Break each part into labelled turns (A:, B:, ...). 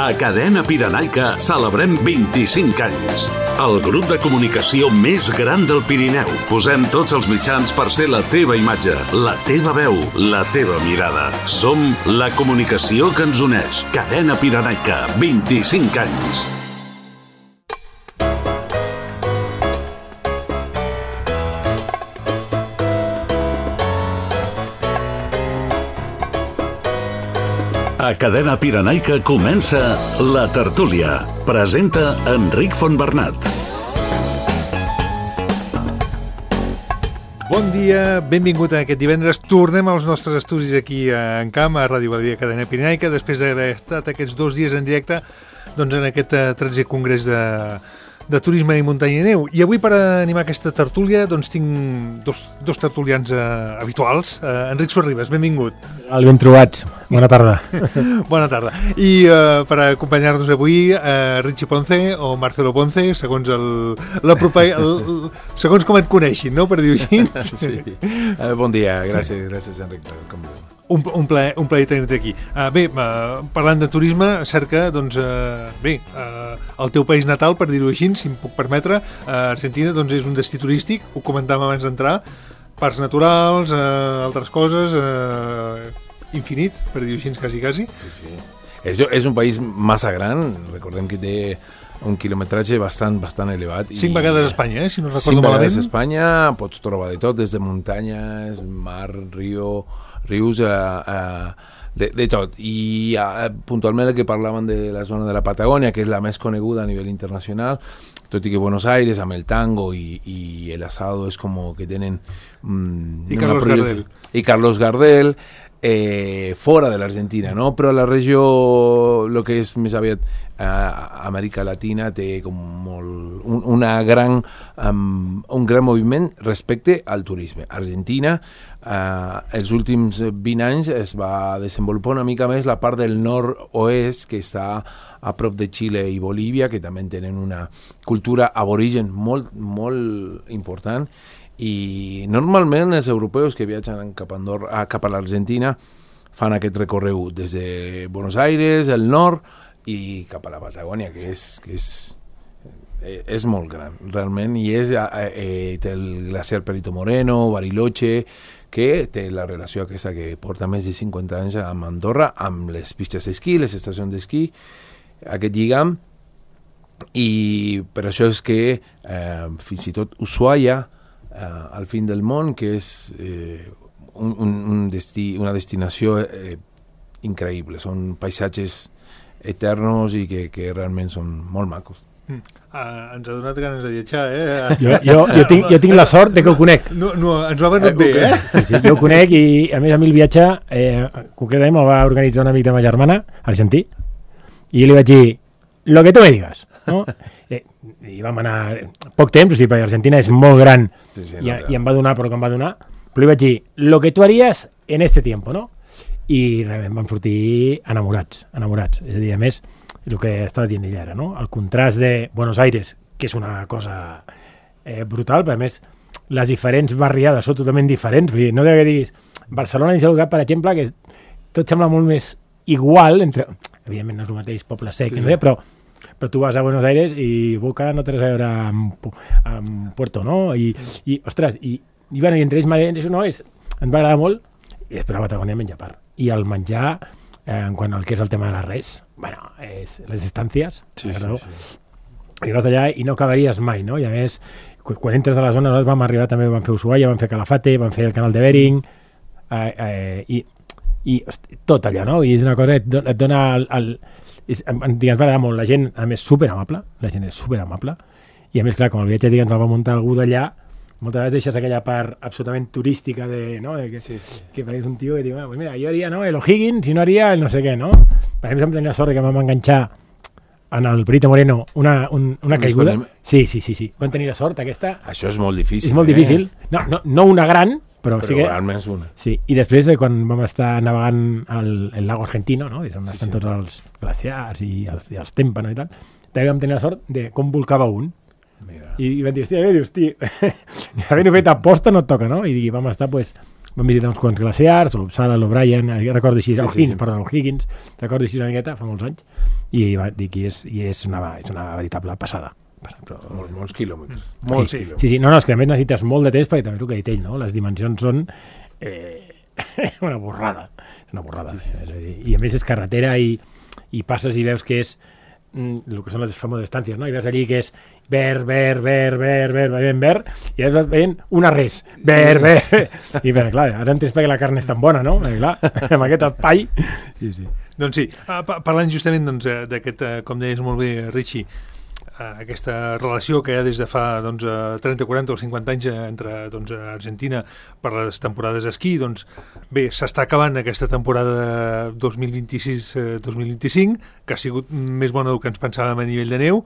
A: A Cadena Pirenaica celebrem 25 anys. El grup de comunicació més gran del Pirineu. Posem tots els mitjans per ser la teva imatge, la teva veu, la teva mirada. Som la comunicació que ens uneix. Cadena Pirenaica, 25 anys. A Cadena Pirenaica comença La Tertúlia. Presenta Enric Fontbernat.
B: Bon dia, benvingut a aquest divendres. Tornem als nostres estudis aquí en camp, a Ràdio Badia Cadena Pirenaica, després d'haver estat aquests 2 dies en directe doncs, en aquest 13è congrés de turisme i muntanya i neu. I avui, per animar aquesta tertúlia, doncs tinc dos tertulians habituals. Enric Sorribes, benvingut.
C: Ben trobats. Bona tarda.
B: Bona tarda. I per acompanyar-nos avui, Richie Ponce o Marcelo Ponce, segons segons com et coneixin, no?, per dir-ho així.
D: Sí. Bon dia, gràcies Enric per convidar.
B: Un plaer tenir-te aquí. Bé, parlant de turisme, cerca, doncs, el teu país natal, per dir-ho així, si em puc permetre, Argentina, doncs és un destí turístic, ho comentàvem abans d'entrar, parcs naturals, altres coses, infinit, per dir-ho així, quasi.
D: Sí. És un país massa gran, recordem que té un quilometratge bastant elevat.
B: 5 vegades a Espanya, si no recordo malament.
D: 5 vegades a Espanya, pots trobar de tot, des de muntanyes, mar, rius, de tot. I puntualment el que parlaven de la zona de la Patagònia, que és la més coneguda a nivell internacional, tot i que Buenos Aires, amb el tango i el asado, és com que tenen...
B: I
D: Carlos Gardel, fora de l'Argentina, no? Però la regió, el que és més aviat Amèrica Latina, té com un gran moviment respecte al turisme. Argentina, els últims 20 anys es va desenvolupar una mica més la part del nord-oest, que està a prop de Xile i Bolívia, que també tenen una cultura aborigen molt important. I normalment els europeus que viatgen cap a l'Argentina fan aquest recorregut des de Buenos Aires, el nord, i cap a la Patagònia, que és molt gran, realment, i té el glaciar Perito Moreno, Bariloche, que té la relació aquesta que porta més de 50 anys amb Andorra, amb les pistes d'esquí, les estacions d'esquí, aquest lligam, i per això és que fins i tot Ushuaia, al fin del món, que és una destinació increïble, són paisatges eternos i que realment són molt macos.
B: Ens ha donat ganes de viatjar,
C: Jo tinc la sort de que ho conec.
B: No, ens ho ha venut bé,
C: Sí, jo ho conec i a mi el viatge concretament me'l va organitzar un amic de ma germana, argentí, i li vaig dir, lo que tu me digas, no? I vam anar poc temps, o sigui, perquè Argentina és molt gran, i em va donar però que em va donar, però li vaig dir, lo que tu haries en este tiempo, no? I realment vam sortir enamorats. És a dir, a més, el que estava dient ella ara, no? El contrast de Buenos Aires, que és una cosa brutal, però a més les diferents barriades són totalment diferents. Vull dir, no que diguis Barcelona i Sant Cugat, per exemple, que tot sembla molt més igual, evidentment no és el mateix poble sec, sí. Però tu vas a Buenos Aires i Boca no té res a veure amb Puerto, no? I ostres, i entre ells mateixos, no? Ens va agradar molt, i després la Patagònia menja part. I el menjar, en quant al que és el tema de les res, és les estàncies, i vas allà i no acabaries mai, no? I a més, quan entres a la zona, vam arribar també, vam fer Ushuaia, vam fer Calafate, vam fer el canal de Bering, i tot allà, no? I és una cosa que et dona ens va agradar molt, la gent a més superamable, i a més clar, com el viatge ens el va muntar algú d'allà, moltes vegades deixes aquella part absolutament turística que pareix un tio que diu, pues mira, jo haria el O'Higgins i no haria el no sé què, no? Per exemple, vam tenir la sort que vam enganxar en el Perito Moreno una caiguda. Sí. Vam tenir la sort aquesta.
D: Això és molt difícil.
C: És molt difícil. No una gran, però sí que...
D: almenys una.
C: Sí, i després quan vam estar navegant el lago Argentino, no? És on estan tots els glaciars i els témpanos i tal, també vam tenir la sort de com volcava un. Mira. I vam dir, hòstia, havent-ho fet a posta no et toca, no? I vam estar, vam visitar uns quants glaciars, l'Uppsala, l'O'Brien, recordo així, Higgins, recordo així una miqueta, fa molts anys, i va dir que és una veritable passada.
D: Però molts quilòmetres.
C: Sí, no, és que a més necessites molt de temps, perquè també el que ha dit ell, no? Les dimensions són una borrada. És una borrada. Sí. És a dir, i a més és carretera i passes i veus que és el que són les famoses estàncies, no? I veus allí que és verd, i vas veient una res, verd. I bé, clar, ara entens perquè la carn és tan bona, no? Clar, amb aquest espai. Sí.
B: Doncs sí, parlant justament d'aquest, com deies molt bé, Richie, aquesta relació que hi ha des de fa 30, 40 o 50 anys entre Argentina per les temporades d'esquí, doncs bé, s'està acabant aquesta temporada 2026-2025, que ha sigut més bona del que ens pensàvem a nivell de neu.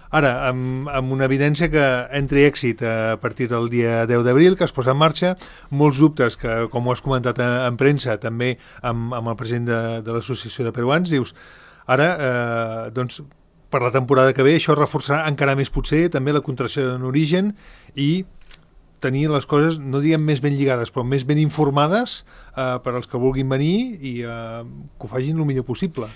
B: Ara, amb una evidència que entri èxit a partir del dia 10 d'abril, que es posa en marxa, molts dubtes que, com ho has comentat en premsa, també amb el president de l'Associació de Peruans, dius, ara, doncs, per la temporada que ve, això reforçarà encara més potser també la contracció en origen i tenir les coses, no diguem més ben lligades, però més ben informades per als que vulguin venir i que ho facin el millor possible.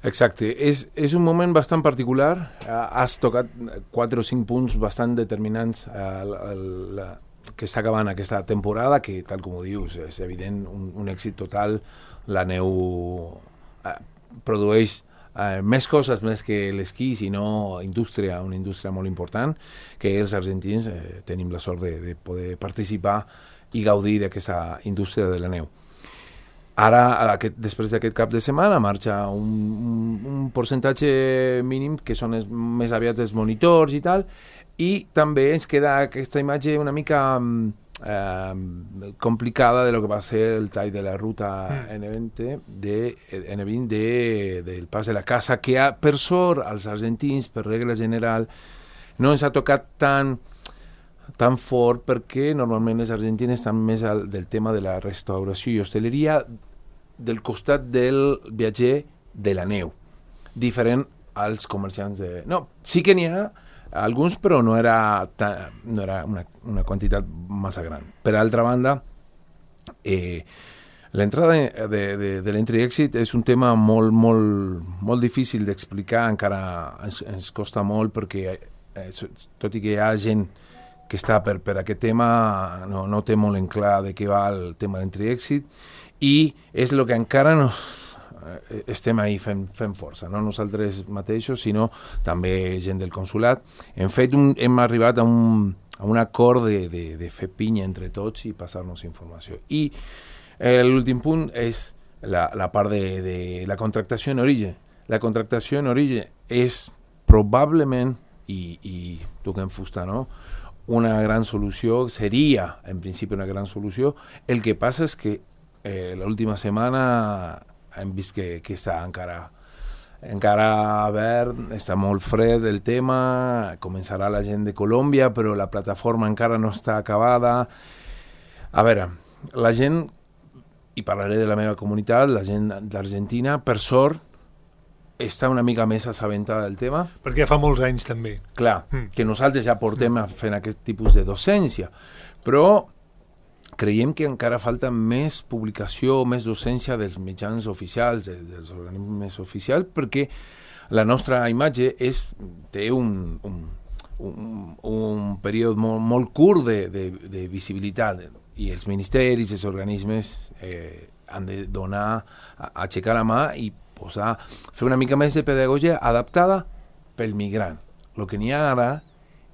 D: Exacte. És un moment bastant particular. Has tocat 4 o 5 punts bastant determinants que està acabant aquesta temporada, que, tal com ho dius, és evident, un èxit total. La neu produeix més coses més que l'esquí, sinó una indústria molt important, que els argentins tenim la sort de poder participar i gaudir d'aquesta indústria de la neu. Ara, després d'aquest cap de setmana, marxa un percentatge mínim, que són més aviat els monitors i tal, i també ens queda aquesta imatge una mica complicada de lo que va a ser el tall de la ruta N20 del Pas de la Casa, que per sort als argentins, per regla general, no ens ha tocat tan fort, perquè normalment els argentins estan més del tema de la restauració i hosteleria del costat del viatger de la neu, diferent als comerciants de... No, sí que n'hi ha alguns, però no era una quantitat massa gran. Per altra banda, l'entrada de l'entry-exit és un tema molt difícil d'explicar, encara ens costa molt, perquè tot i que hi ha gent que està per aquest tema, no té molt en clar de què va el tema de l'entry-exit, i és el que encara no... estem ahí fent força, no nosaltres mateixos, sinó també gent del consulat. Hem arribat a un acord de fer pinya entre tots i passar-nos informació. I l'últim punt és la part de la contractació en origen. La contractació en origen és probablement, i toquem fusta, no?, una gran solució, seria en principi una gran solució. El que passa és que l'última setmana hem vist que està encara verd, està molt fred el tema, començarà la gent de Colòmbia, però la plataforma encara no està acabada. A veure, la gent, i parlaré de la meva comunitat, la gent d'Argentina, per sort, està una mica més assabentada del tema.
B: Perquè fa molts anys també.
D: Clar, que nosaltres ja portem fent aquest tipus de docència, però creiem que encara falta més publicació, més docència dels mitjans oficials, dels organismes oficials, perquè la nostra imatge té un període molt curt de visibilitat, i els ministeris, els organismes han de donar, aixecar la mà i fer una mica més de pedagogia adaptada pel migrant. El que n'hi ha ara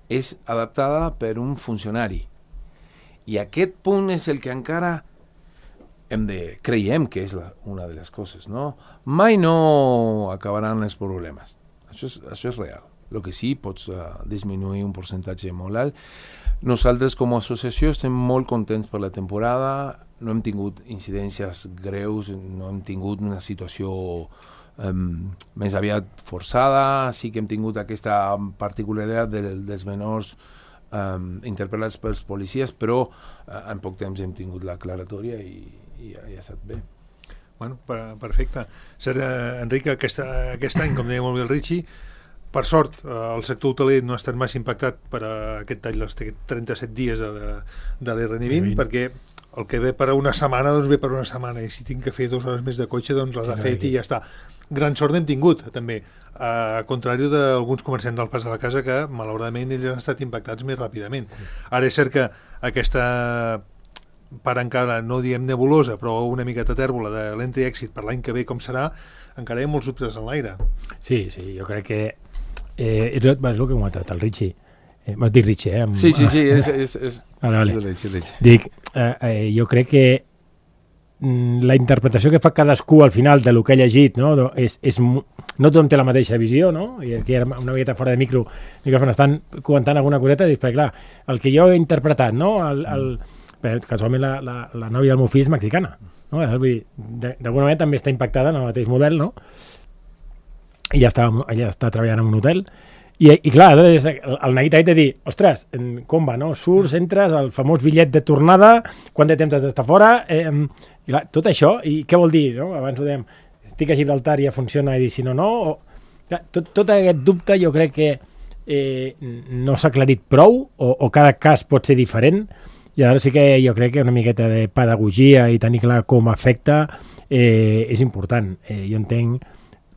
D: és adaptada per un funcionari. I aquest punt és el que encara creiem que és una de les coses, no? Mai no acabaran els problemes. Això és real. El que sí, pots disminuir un percentatge molt alt. Nosaltres, com a associació, estem molt contents per la temporada. No hem tingut incidències greus, no hem tingut una situació més aviat forçada. Sí que hem tingut aquesta particularitat dels menors interpel·lats pels policies, però en poc temps hem tingut l'aclaratòria i ja ha estat bé.
B: Bueno, perfecte. Enric, aquest any, com deia molt bé el Richie, Per sort, el sector hoteler no ha estat massa impactat per aquest tall dels 37 dies de l'RN20, perquè el que ve per una setmana, doncs ve per una setmana, i si tinc que fer 2 hores més de cotxe, doncs les ha fet i ja està. Gran sort n'hem tingut, també, a contrari d'alguns comerciants del Pas de la Casa que, malauradament, ells han estat impactats més ràpidament. Ara és cert que aquesta part encara, no diem nebulosa, però una miqueta tèrbola de l'Entry Exit per l'any que ve com serà, encara hi ha molts dubtes en l'aire.
C: Sí, jo crec que és el que he comentat, el Richie. M'has dit Richie,
D: Sí, és...
C: Vale. Dic, jo crec que la interpretació que fa cadascú al final de lo que ha llegit, no tothom té la mateixa visió, no? I aquí una miqueta fora de micròfon estan comentant alguna coseta, dic, perquè clar, el que jo he interpretat, no? Casualment la nòvia del meu fill és mexicana, no? D'alguna manera també està impactada en el mateix model, no? I ella està treballant en un hotel i clar, el neguit ha de dir, ostres, com va, no? Surts, entres, el famós bitllet de tornada, quant de temps has d'estar fora, i clar, tot això, i què vol dir, no? Abans ho dèiem, estic a Gibraltar i ja funciona, i dir si no, clar, tot aquest dubte jo crec que no s'ha aclarit prou, o cada cas pot ser diferent, i ara sí que jo crec que una miqueta de pedagogia i tenir clar com afecta és important. Jo entenc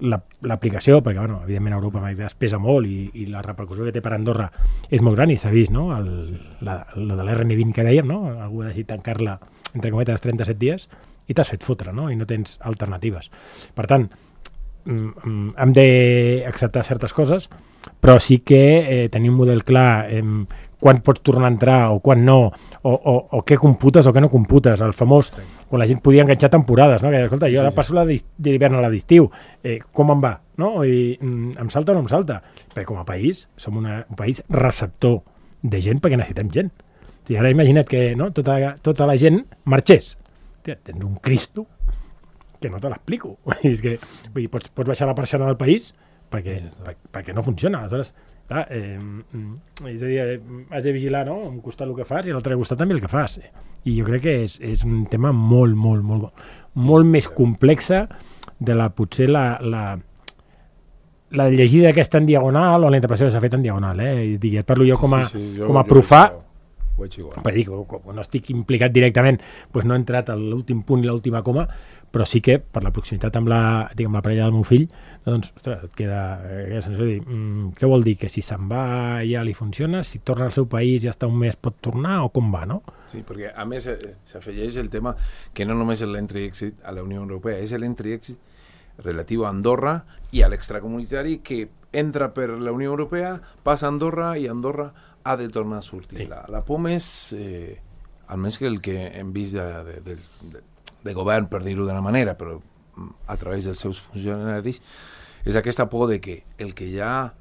C: l'aplicació, perquè evidentment a Europa es pesa molt i la repercussió que té per Andorra és molt gran i s'ha vist, no? La de l'RN20 que dèiem, no? Algú ha decidit tancar-la entre cometes 37 dies i t'has fet fotre, no? I no tens alternatives. Per tant, hem d'acceptar certes coses, però sí que tenir un model clar quan pots tornar a entrar o quan no, o què computes o què no computes. El famós, quan la gent podia enganxar temporades, no? Que, escolta, jo ara passo d'hivern a la d'estiu, com em va? No? I em salta o no em salta? Perquè com a país, som un país receptor de gent perquè necessitem gent. I ara imagina't que tota la gent marxés. Hòstia, tens un Cristo que no te l'explico. És que pots baixar la persiana del país perquè no funciona. Aleshores, clar, és a dir, has de vigilar, no? Un costat el que fas i a l'altre costat també el que fas. I jo crec que és un tema molt més complexa de potser la llegida aquesta en diagonal o la interpretació que s'ha fet en diagonal. Et parlo jo com a profà, perquè dic, no estic implicat directament, doncs no he entrat a l'últim punt i l'última coma, però sí que per la proximitat amb la parella del meu fill, doncs, ostres, et queda aquella sensació de dir, què vol dir? Que si se'n va ja li funciona, si torna al seu país ja està un mes pot tornar o com va, no?
D: Sí, perquè a més s'afegeix el tema que no només és l'entry-exit a la Unió Europea, és l'entry-exit relatiu a Andorra i a l'extracomunitari que entra per la Unió Europea, passa a Andorra i Andorra ha de tornar a sortir. Sí. La POM és, almenys que el que hem vist de govern, per dir-ho d'una manera, però a través dels seus funcionaris, és aquesta por de que el que ja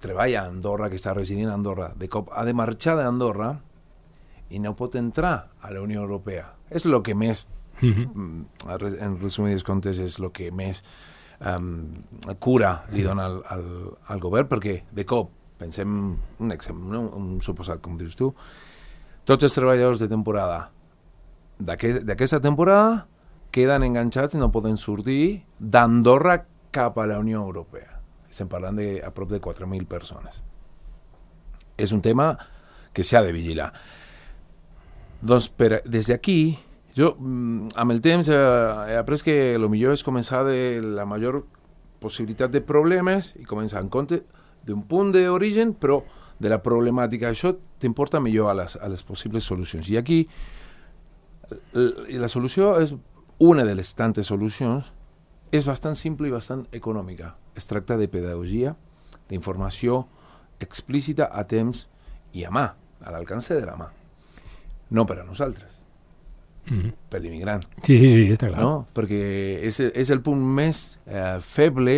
D: treballa a Andorra, que està residint a Andorra, de cop ha de marxar d'Andorra i no pot entrar a la Unió Europea. És el que més, en resumides comptes, és el que més cura li dona al govern, perquè de cop, pensem un exemple, un suposat, com dius tu, tots els treballadors de temporada d'aquesta temporada queden enganxats i no poden sortir d'Andorra cap a la Unió Europea. Estem parlant a prop de 4.000 persones. És un tema que s'ha de vigilar. Doncs des d'aquí, jo amb el temps he après que el millor és començar de la major possibilitat de problemes i començar en compte d'un punt d'origen, però de la problemàtica. Això t'importa millor a les possibles solucions. I aquí la solució és una de les tantes solucions, és bastant simple i bastant econòmica. Es tracta de pedagogia, d'informació explícita a temps i a mà, a l'alcance de la mà. No per a nosaltres, per l'immigrant.
C: Sí, està clar.
D: No? Perquè és el punt més feble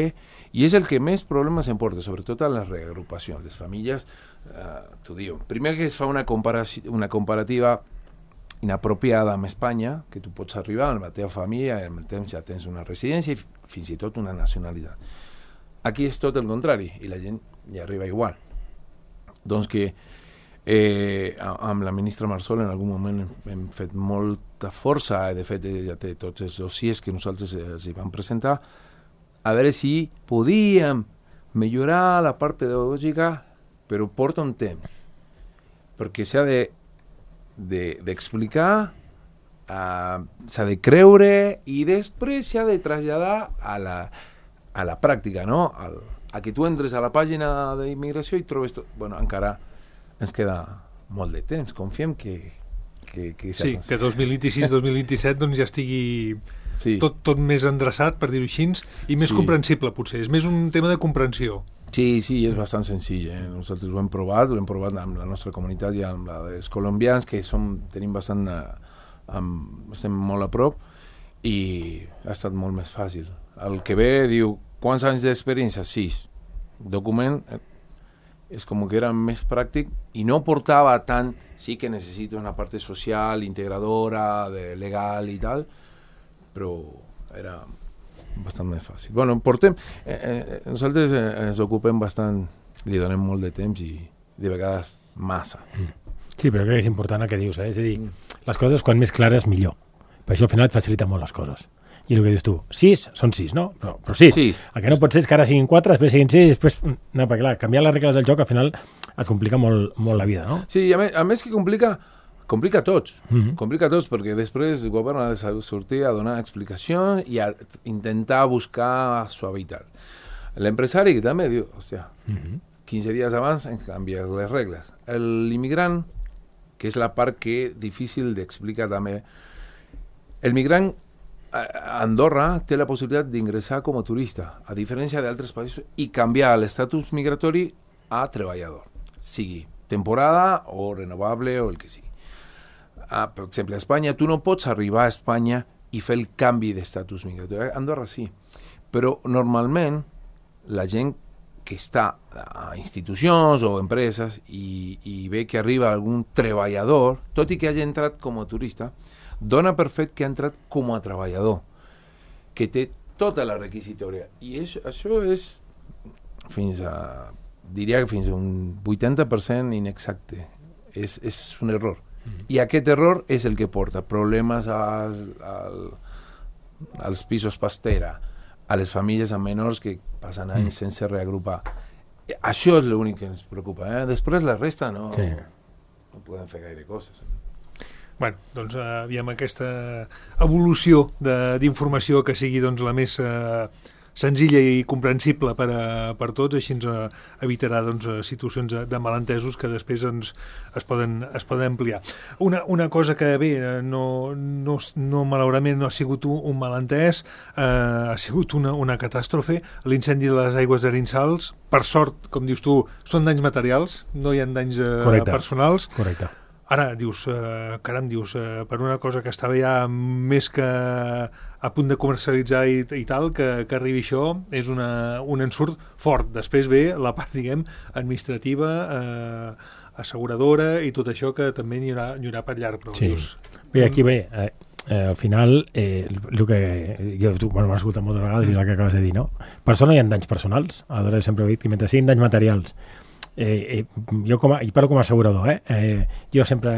D: i és el que més problemes em porta, sobretot a les reagrupacions. Les famílies, t'ho diu, primer que es fa una comparativa inapropiada amb Espanya, que tu pots arribar amb la teva família i amb el temps ja tens una residència i fins i tot una nacionalitat. Aquí és tot el contrari i la gent ja arriba igual. Doncs que amb la ministra Marsol en algun moment hem fet molta força i de fet ja té tots els dossiers que nosaltres els hi vam presentar a veure si podíem millorar la part pedagògica, però porta un temps, perquè s'ha d'explicar, s'ha de creure i després s'ha de traslladar a la pràctica, no? A que tu entres a la pàgina d'immigració i trobes tot. Bueno, encara ens queda molt de temps. Confiem que
B: sí, que 2026-2027 doncs ja estigui tot més endreçat, per dir-ho així, i més comprensible, potser. És més un tema de comprensió.
D: Sí, és bastant senzill. Nosaltres ho hem provat amb la nostra comunitat i amb la dels colombians, que tenim bastant... estem molt a prop, i ha estat molt més fàcil. El que ve diu, quants anys d'experiència? 6. Document... és com que era més pràctic i no portava tant, sí que necessita una part social, integradora, legal i tal, però era bastant més fàcil. Bueno, nosaltres ens ocupem bastant, li donem molt de temps i de vegades massa.
C: Sí, però crec que és important el que dius, és a dir, les coses quan més clares millor, per això al final et facilita molt les coses. I el que dius tu, 6 són 6, no? Però 6. El que no pot ser és que ara siguin 4, després siguin 6, després... No, perquè clar, canviar les regles del joc al final et complica molt la vida, no?
D: Sí, a més que complica tots. Complica tots, perquè després el govern ha de sortir a donar explicacions i a intentar buscar suavitat. L'empresari també diu, 15 dies abans en canviar les regles. L'immigrant, que és la part que és difícil d'explicar també, el migrant a Andorra té la possibilitat d'ingressar com a turista, a diferència d'altres països, i canviar l'estatus migratori a treballador, sigui temporada o renovable o el que sigui. Per exemple, a Espanya, tu no pots arribar a Espanya i fer el canvi d'estatus migratori. A Andorra sí, però normalment la gent que està a institucions o empreses i ve que arriba algun treballador, tot i que hagi entrat com a turista, dona per fet que ha entrat com a treballador, que té tota la requisitòria. I això és diria que fins a un 80% inexacte. És un error. I aquest error és el que porta problemes als pisos pastera, a les famílies amb menors que passen anys sense reagrupar. Això és l'únic que ens preocupa. Després la resta no podem fer gaire coses.
B: Bueno, doncs aviam aquesta evolució d'informació que sigui doncs, la més senzilla i comprensible per tots, així ens evitarà doncs, situacions de malentesos que després es poden ampliar. Una cosa que bé, no malauradament no ha sigut un malentès, ha sigut una catàstrofe, l'incendi de les aigües d'Arinsals. Per sort, com dius tu, són danys materials, no hi ha danys personals.
C: Correcte.
B: Ara, dius, per una cosa que estava ja més que a punt de comercialitzar i tal, que arribi això, és un ensurt fort. Després ve la part, diguem, administrativa, asseguradora i tot això que també n'hi haurà per llarg. Però,
C: sí. Dius, bé, aquí ve, al final, el que jo m'he escoltat moltes vegades i és el que acabes de dir, no? Per això no hi ha danys personals. Aleshores sempre he dit que mentre siguin danys materials, jo parlo com a assegurador, jo sempre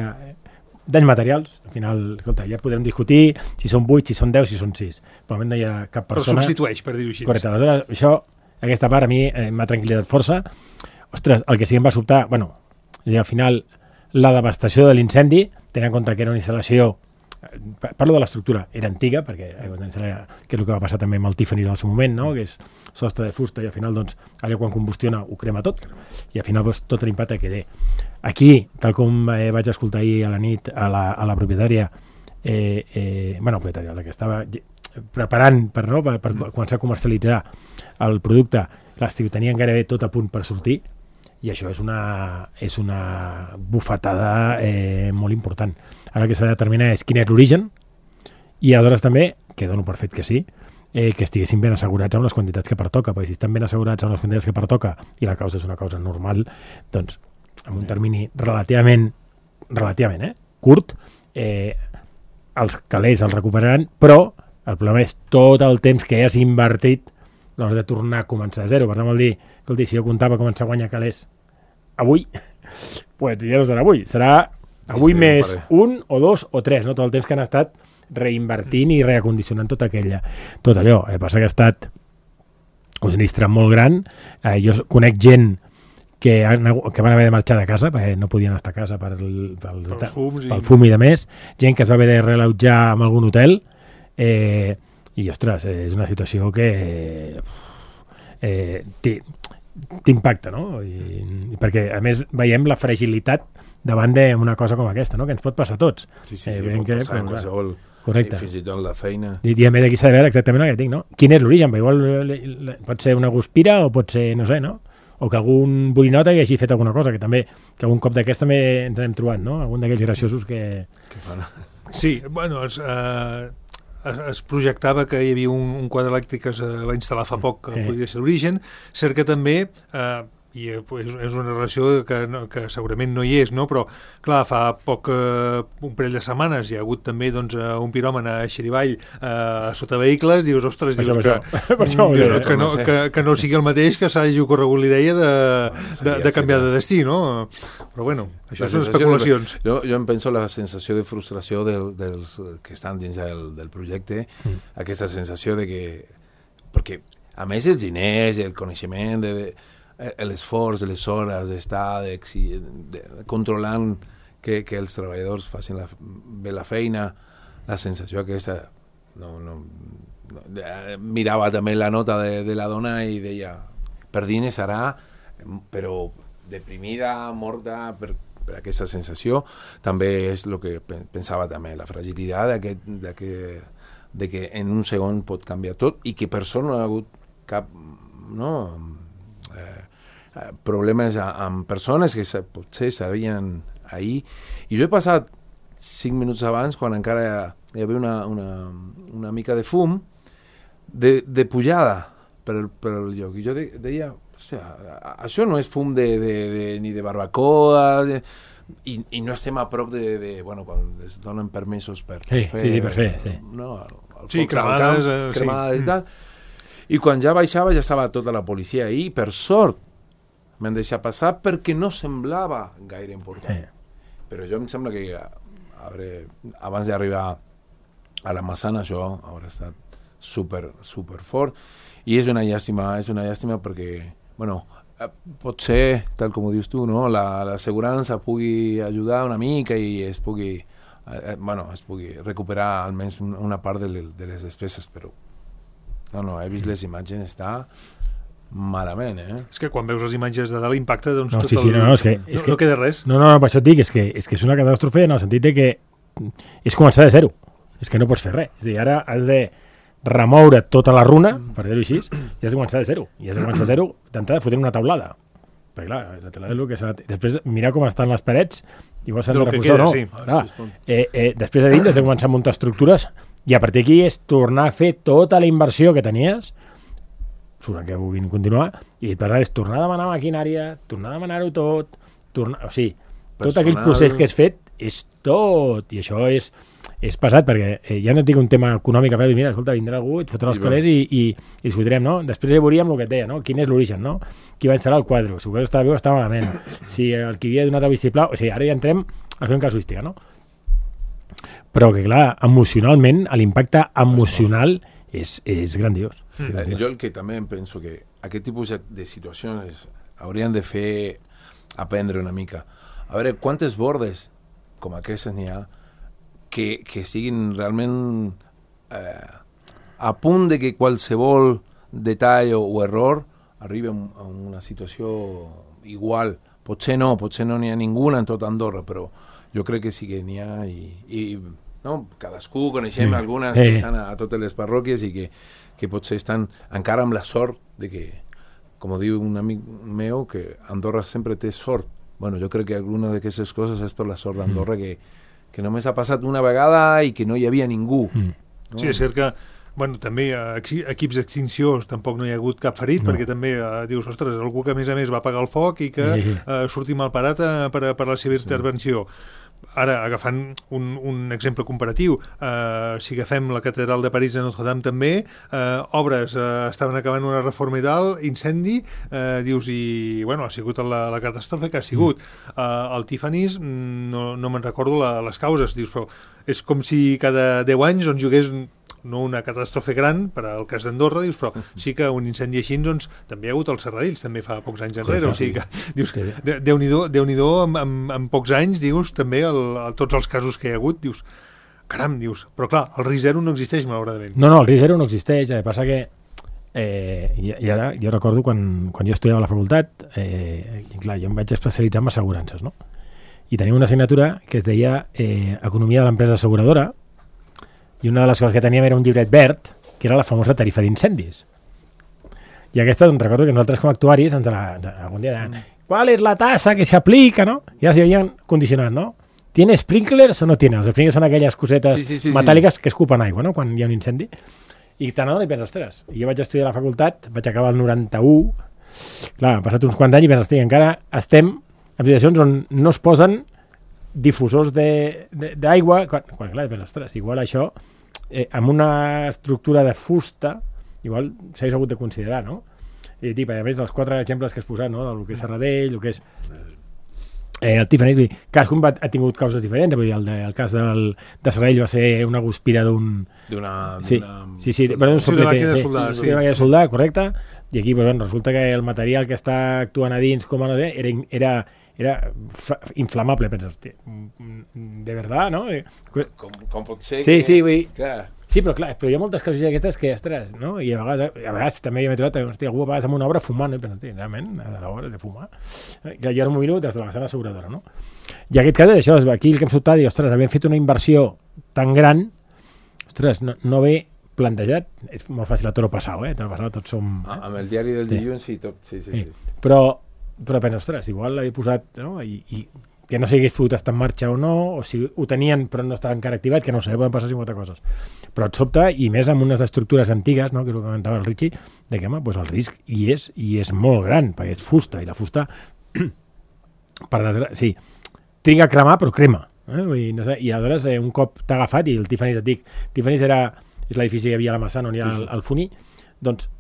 C: danys materials, al final, escolta, ja podrem discutir si són 8, si són 10, si són 6, però no hi ha cap persona...
B: Però substitueix, per dir-ho així.
C: Correcte, aleshores aquesta part a mi m'ha tranquil·litat força. Ostres, el que sí que em va sobtar, bueno, i al final la devastació de l'incendi, tenint en compte que era una instal·lació, parlo de l'estructura, era antiga, perquè que és el que va passar també amb el Tiffany al seu moment, no? Que és sostre de fusta i al final doncs, allò quan combustiona ho crema tot i al final doncs, tot l'impacte que té. Aquí, tal com vaig escoltar ahir a la nit a la propietària, propietària, la que estava preparant per començar a comercialitzar el producte, tenien gairebé tot a punt per sortir, i això és una bufetada molt important. Ara el que s'ha de determinar és quin és l'origen i aleshores també, que dono per fet que sí, que estiguessin ben assegurats amb les quantitats que pertoca, perquè si estan ben assegurats amb les quantitats que pertoca i la causa és una causa normal, doncs en un termini relativament curt, els calés els recuperaran, però el problema és tot el temps que has invertit a l'hora de tornar a començar a zero. Per tant, vol dir, escolti, si jo comptava començar a guanyar calés avui, doncs ja no serà avui, serà avui més 1 o 2 o 3, no? Tot el temps que han estat reinvertint i reacondicionant tot allò. Passa que ha estat un sinistre molt gran. Jo conec gent que van haver de marxar de casa perquè no podien estar a casa pel fum i de més, gent que es va haver de reallotjar en algun hotel, i ostres, és una situació que t'impacta, no? I perquè a més veiem la fragilitat davant d'una cosa com aquesta, no? Que ens pot passar a tots.
D: Sí, pot passar en qualsevol.
C: Correcte.
D: Fins i tot la feina.
C: I a més aquí s'ha de veure exactament el que dic, no? Quin és l'origen? Igual pot ser una guspira o pot ser, no sé, no? O que algun borinota hi hagi fet alguna cosa, que algun cop d'aquest també ens hem trobat, no? Algun d'aquells graciosos que
B: fan. Sí, bueno, es projectava que hi havia un quadre elèctric que es va instal·lar fa poc que podria ser l'origen. Cert que també, i és una relació que segurament no hi és, no? Però clar, fa poc, un parell de setmanes hi ha hagut també un piròman a Xirivall sota vehicles, dius, ostres, que no sigui el mateix que s'hagi ocorregut l'idea de canviar de destí, no? Però bueno, això són especulacions.
D: Jo em penso la sensació de frustració dels que estan dins del projecte, aquesta sensació de que, perquè a més els diners, el coneixement, l'esforç, les hores d'estar controlant que els treballadors facin bé la feina, la sensació aquesta mirava també la nota de la dona i deia, per dins serà, però deprimida, morta per aquesta sensació. També és el que pensava també, la fragilitat de que en un segon pot canviar tot i que per sort no hi ha hagut cap problemes amb persones que potser sabien ahir. I jo he passat 5 minuts abans, quan encara hi havia una mica de fum, de pujada per el lloc. I jo deia, això no és fum ni de barbacoa, i no estem a prop quan es donen permisos per fer. Cremades i tal. I quan ja baixava ja estava tota la policia ahí, per sort m'han deixat passar perquè no semblava gaire important. Però jo em sembla que abans d'arribar a la Massana això haurà estat super fort, i és una llàstima perquè, potser, tal com ho dius tu, no? L'assegurança pugui ajudar una mica i es pugui recuperar almenys una part de les despeses, però he vist les imatges, està malament,
B: És que quan veus les imatges de dalt l'impacte, doncs
C: no
B: queda res.
C: No, per això et dic, és que és una catàstrofe en el sentit de que és començar de zero, és que no pots fer res. És a dir, ara has de remoure tota la runa, per dir-ho així, i has de començar de zero. I has de començar de zero, d'entrada fotent una taulada. Perquè clar, la teulada és el que s'ha... Després mirar com estan les parets, igual s'ha de reforçar o no. Després de dins has de començar a muntar estructures i a partir d'aquí és tornar a fer tota la inversió que tenies, que vulguin continuar, i per tant és tornar a demanar maquinària, tornar a demanar-ho tot, tot aquell procés que has fet és tot, i això és pesat, perquè ja no et dic un tema econòmic, però mira, escolta, vindrà algú, et fotrà els calés i discutirem, no? Després ja veuríem el que et deia, no? Quin és l'origen, no? Qui va instal·lar el quadre? Si ho estava bé o estava malament? Si el que havia donat el vistiplau... O sigui, ara ja entrem a fer un casuística, no? Però que, clar, emocionalment, l'impacte emocional és grandiós.
D: Jo el que també em penso que aquest tipus de situacions haurien de fer aprendre una mica. A veure, quantes bordes com aquestes n'hi ha que siguin realment a punt de que qualsevol detall o error arribi a una situació igual. Potser no n'hi ha ninguna en tot Andorra, però jo crec que sí que n'hi ha i cadascú coneixem algunes que estan a totes les parròquies i que potser estan encara amb la sort de que, com diu un amic meu, que Andorra sempre té sort. Jo crec que alguna d'aquestes coses és per la sort d'Andorra que només ha passat una vegada i que no hi havia ningú. No?
B: Sí, és cert que també equips d'extinció tampoc no hi ha hagut cap ferit, perquè també dius, ostres, algú que a més va apagar el foc i que surti mal parat per la seva intervenció. Ara, agafant un exemple comparatiu, si agafem la catedral de París de Notre-Dame també, obres, estaven acabant una reforma i tal, incendi, dius, i ha sigut la catàstrofe que ha sigut. El Tiffany's, no me'n recordo les causes, dius, però és com si cada 10 anys jugués no una catàstrofe gran per al cas d'Andorra, dius, però sí que un incendi així, doncs, també hi ha hagut als Serradills, també fa pocs anys enrere, o sigui que, dius, Déu-n'hi-do, en pocs anys, dius, també tots els casos que hi ha hagut, dius, caram, dius, però clar, el risc zero no existeix, malauradament.
C: No, el risc zero no existeix, passa que i ara jo recordo quan jo estudiava a la facultat, i clar, jo em vaig especialitzar en assegurances, no? I teníem una assignatura que es deia Economia de l'empresa asseguradora, i una de les coses que teníem era un llibret verd, que era la famosa tarifa d'incendis. I aquesta, doncs, recordo que nosaltres com a actuaris algun dia deien, ¿cuál es la tasa que se aplica, no? I ara s'hi havien condicionat, no? ¿Tiene sprinklers o no tiene? Els sprinklers són aquelles cosetes metàl·liques que escupen aigua, no?, quan hi ha un incendi. I te n'adones i penses, ostres, jo vaig estudiar a la facultat, vaig acabar el 91, clar, han passat uns quants anys i penses, hosti, encara estem en situacions on no es posen difusors d'aigua, quan clar, penses, ostres, igual això, amb una estructura de fusta, igual s'hagués hagut de considerar, no? I a més dels 4 exemples que has posat, no?, del que és Serradell, el que és el Tiffany, vull dir, cadascun ha tingut causes diferents, vull dir, el cas de Serradell va ser una guspira d'un soldà, correcte, i aquí resulta que el material que està actuant a dins com a no sé, era inflamable, penses, de verdad, no?
D: Com pot ser
C: que... Sí, vull dir...
D: Clar.
C: Sí, però clar, hi ha moltes coses d'aquestes que, ostres, no? I a vegades també m'he trobat, hòstia, algú a vegades amb una obra fumant, no? I penso, realment, a l'hora de fumar. Jo ara m'ho miro des de la vessant asseguradora, no? I aquest cas és això, aquí el que hem sobtat, i, ostres, havent fet una inversió tan gran, ostres, no ve plantejat, és molt fàcil a tot passar, tots som...
D: Amb el diari del dilluns i tot, sí.
C: Però penso, ostres, igual l'havia posat, no? I que no s'hagués pogut estar en marxa o no, o si ho tenien però no estava encara activat, que no sé, poden passar 50 coses. Però et sobta, i més amb unes estructures antigues, no?, que és el que comentava el Richie, de que, home, doncs el risc hi és molt gran, perquè és fusta, i la fusta, triga a cremar, però crema. Vull dir, no sé, i aleshores, un cop t'ha agafat, i el Tiffany's et dic, Tiffany's és l'edifici que hi havia a la Massana, on hi ha el Funí, doncs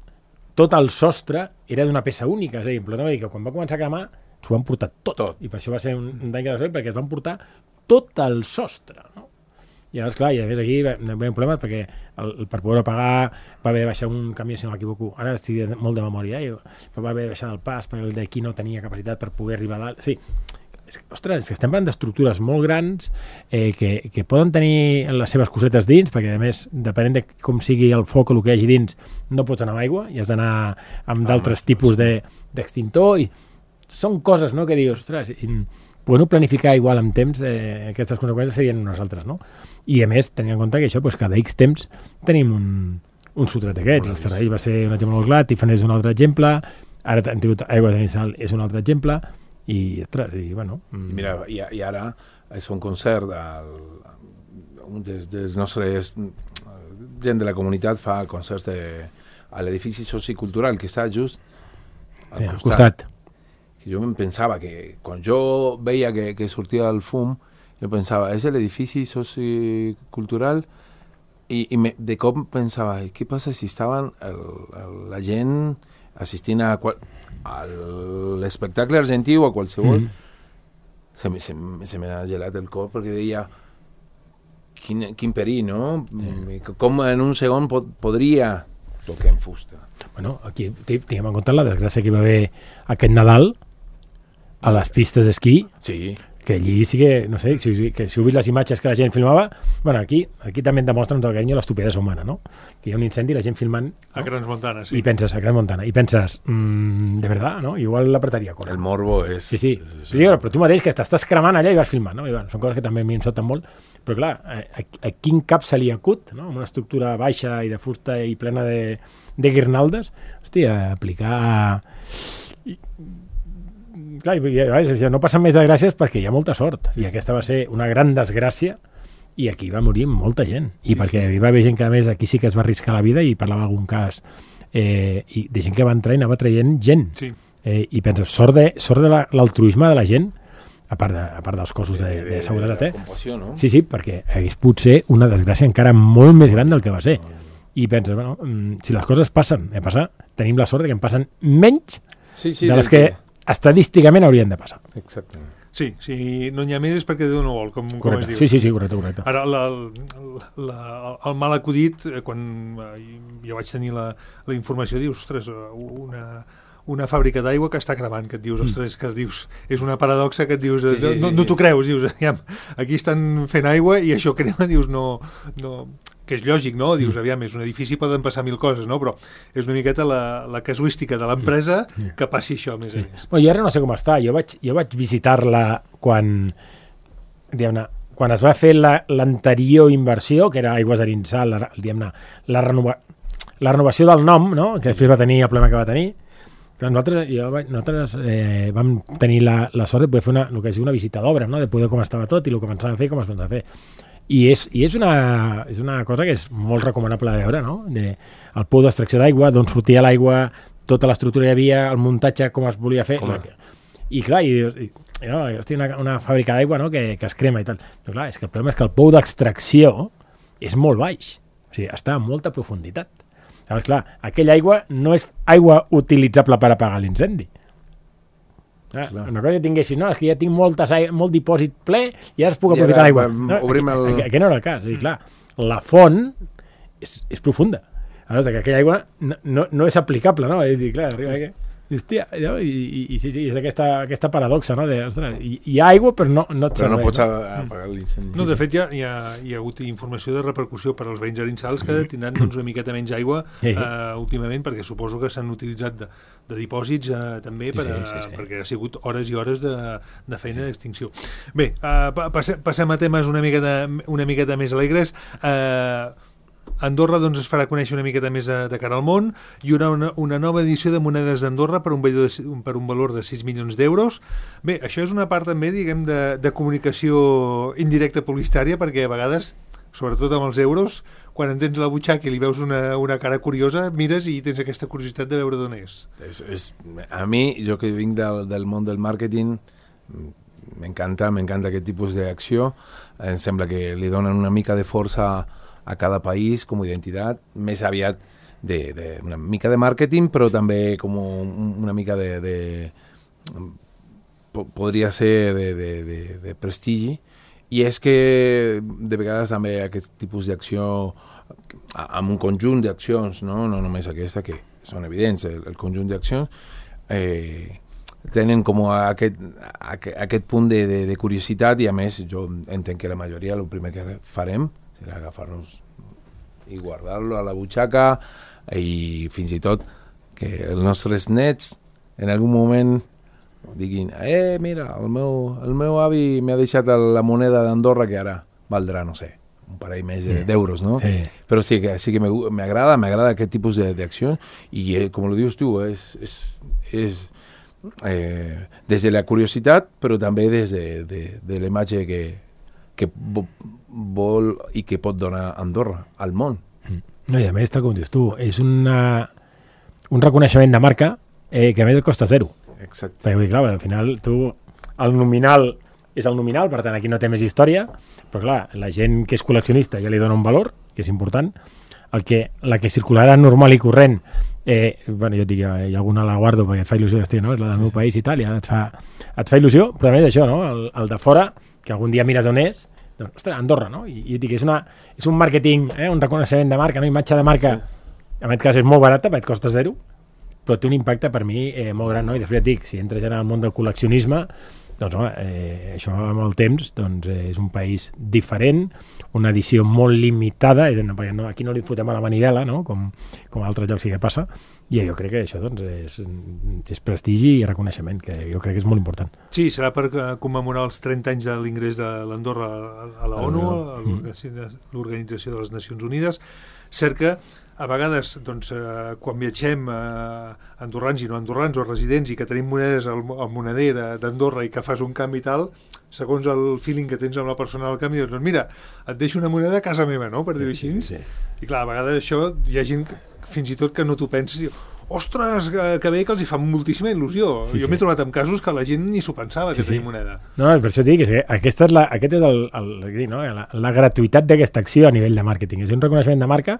C: tot el sostre era d'una peça única, és a dir, però no, que quan va començar a cremar s'ho van portar tot. I per això va ser un dany que perquè es van portar tot el sostre, no? I llavors, clar, i a més aquí va haver un problema perquè per poder pagar va haver de baixar un camió, si no m'equivoco, ara estic molt de memòria, però va haver de baixar del pas perquè el d'aquí no tenia capacitat per poder arribar a dalt. Sí, ostres, és que estem parlant d'estructures molt grans que poden tenir les seves cosetes dins, perquè a més, depenent de com sigui el foc o el que hi hagi dins, no pots anar amb aigua i has d'anar amb d'altres tipus d'extintor, i són coses, no?, que dius, ostres, podem planificar igual amb temps, aquestes conseqüències serien unes altres, no? I a més, tenint en compte que això, doncs, cada X temps tenim un sotret d'aquests. El Serradell va ser un exemple molt clar, Tiffany és un altre exemple, ara hem tingut Aigua de Nissal, és un altre exemple, i, ostres, i bueno...
D: Mira, i ara es fa un concert, un dels nostres gent de la comunitat fa concerts a l'edifici sociocultural que està just
C: al costat.
D: Jo em pensava que quan jo veia que sortia el fum, jo pensava, és l'edifici sociocultural, i de cop pensava, què passa si estaven la gent assistint a l'espectacle argentí o a qualsevol? Se m'ha gelat el cor perquè deia, quin perill, no? Com en un segon podria tocar en fusta.
C: Bueno, aquí tinguem en compte la desgràcia que hi va haver aquest Nadal a les pistes d'esquí, que allí sí que, no sé, si heu vist les imatges que la gent filmava, bueno, aquí també et demostren tot el carinyo l'estupidesa humana, no? Que hi ha un incendi i la gent filmant...
B: A Crans Montana, sí.
C: I penses, a Crans Montana, i penses, de verdad, no? Igual l'apretaria a córrer.
D: El morbo és...
C: Sí. Però tu mateix, que t'estàs cremant allà i vas filmant, no? I bueno, són coses que també a mi em sobten molt, però clar, a quin cap se li acut, no? Amb una estructura baixa i de fusta i plena de guirnaldes, hòstia, aplicar... Clar, no passen més desgràcies perquè hi ha molta sort, i aquesta va ser una gran desgràcia, i aquí va morir molta gent, i perquè hi va haver gent que a més aquí sí que es va arriscar la vida, i parlava d'algun cas i de gent que va entrar i anava traient gent, i penses, sort de l'altruisme de la gent, a part dels cossos de seguretat,
D: compassió, no?
C: Sí, perquè hagués pogut ser una desgràcia encara molt més gran del que va ser, i penses, bueno, si les coses passen, tenim la sort que en passen menys de les que estadísticament haurien de passar.
D: Exactament.
B: Sí, si no n'hi ha més és perquè Déu no vol, com es diu.
C: Sí, correcte.
B: Ara, el mal acudit, quan jo vaig tenir la informació, dius, ostres, una fàbrica d'aigua que està cremant, que et dius, ostres, que dius, és una paradoxa que et dius, no t'ho creus, dius, aquí estan fent aigua i això crema, dius, no, que és lògic, no? Dius, aviam, és un edifici, poden passar 1000 coses, no? Però és una miqueta la casuística de l'empresa que passi això, més a més.
C: Bueno, jo ara no sé com està, jo vaig visitar-la quan es va fer l'anterior inversió, que era Aigües d'Arinsal, la renovació del nom, no? Que després va tenir el problema que va tenir. Però nosaltres vam tenir la sort de poder fer una visita d'obra, no? De poder com estava tot i el que pensava fer i com es pensava fer. I és una cosa que és molt recomanable de veure, no? El pou d'extracció d'aigua, d'on sortia l'aigua, tota l'estructura hi havia, el muntatge, com es volia fer. I clar, una fàbrica d'aigua, no? que es crema i tal. Però clar, és que el problema és que el pou d'extracció és molt baix, o sigui, està a molta profunditat. Llavors, clar, aquella aigua no és aigua utilitzable per apagar l'incendi. Una cosa que tinguessis, no, és que ja tinc molt dipòsit ple i ara es puc aprofitar l'aigua. Aquest no era el cas. És dir, clar, la font és profunda. Llavors, que aquella aigua no és aplicable, no? És dir, clar, arriba aquí. Hòstia, i sí, és aquesta paradoxa, no? Ostres, hi ha aigua però no et serveix.
D: Però no pots apagar l'incendi.
B: No, de fet hi ha hagut informació de repercussió per als veïns arinsals que tindran una miqueta menys aigua últimament, perquè suposo que s'han utilitzat de dipòsits també perquè ha sigut hores i hores de feina d'extinció. Bé, passem a temes una miqueta més alegres. Andorra doncs, es farà conèixer una miqueta més de cara al món. Hi haurà una nova edició de monedes d'Andorra per un valor de 6 milions d'euros. Bé, això és una part també, diguem, de comunicació indirecta publicitària, perquè a vegades, sobretot amb els euros, quan en tens la butxaca i li veus una cara curiosa, mires i tens aquesta curiositat de veure d'on és.
D: A mi, jo que vinc del món del màrqueting, m'encanta aquest tipus d'acció. Em sembla que li donen una mica de força a cada país com a identitat, més aviat una mica de màrqueting, però també com una mica podria ser de prestigi. I és que de vegades també aquest tipus d'acció, amb un conjunt d'accions, no només aquesta, que són evidents, el conjunt d'accions, tenen com aquest punt de curiositat, i a més jo entenc que la majoria el primer que farem serà agafar-nos i guardar-lo a la butxaca, i fins i tot que els nostres nets en algun moment diguin, mira, el meu avi m'ha deixat la moneda d'Andorra que ara valdrà, no sé, un parell més d'euros, no? Sí. Però sí que m'agrada aquest tipus d'accions, i com ho dius tu, és des de la curiositat, però també des de la imatge que vol i que pot donar Andorra al món.
C: No, i a més, tal com dius tu, és un reconeixement de marca que a més et costa zero.
D: Exacte.
C: Perquè, clar, al final el nominal és el nominal, per tant aquí no té més història, però clar, la gent que és col·leccionista ja li dona un valor, que és important. La que circularà normal i corrent, bueno, jo et dic, hi ha alguna la guardo perquè et fa il·lusió d'estir, no? És la del meu país i tal, ja et fa il·lusió, però a més d'això, no? El de fora, que algun dia mires on és, doncs, ostres, Andorra, no? I et dic, és un màrqueting, un reconeixement de marca, no? Imatge de marca, en aquest cas és molt barata, perquè et costa zero, però té un impacte per mi molt gran, no? I després et dic, si entres ja en el món del col·leccionisme, doncs home, això amb el temps doncs, és un país diferent, una edició molt limitada, perquè aquí no li fotem a la manivela, no? com a altres llocs sí que passa, i jo crec que això doncs, és prestigi i reconeixement, que jo crec que és molt important.
B: Sí, serà per commemorar els 30 anys de l'ingrés de l'Andorra a la ONU, a l'Organització de les Nacions Unides. Cert que a vegades, doncs, quan viatgem andorrans i no andorrans o residents i que tenim monedes al moneder d'Andorra i que fas un canvi i tal, segons el feeling que tens amb la persona del canvi, doncs mira, et deixo una moneda a casa meva, no?, per dir-ho així.
D: Sí.
B: I clar, a vegades això hi ha gent fins i tot que no t'ho penses i diu, ostres, que bé, que els hi fa moltíssima il·lusió. Jo m'he trobat en casos que la gent ni s'ho pensava, que tenia moneda.
C: No, per això dic que aquest és la gratuïtat d'aquesta acció a nivell de màrqueting. És un reconeixement de marca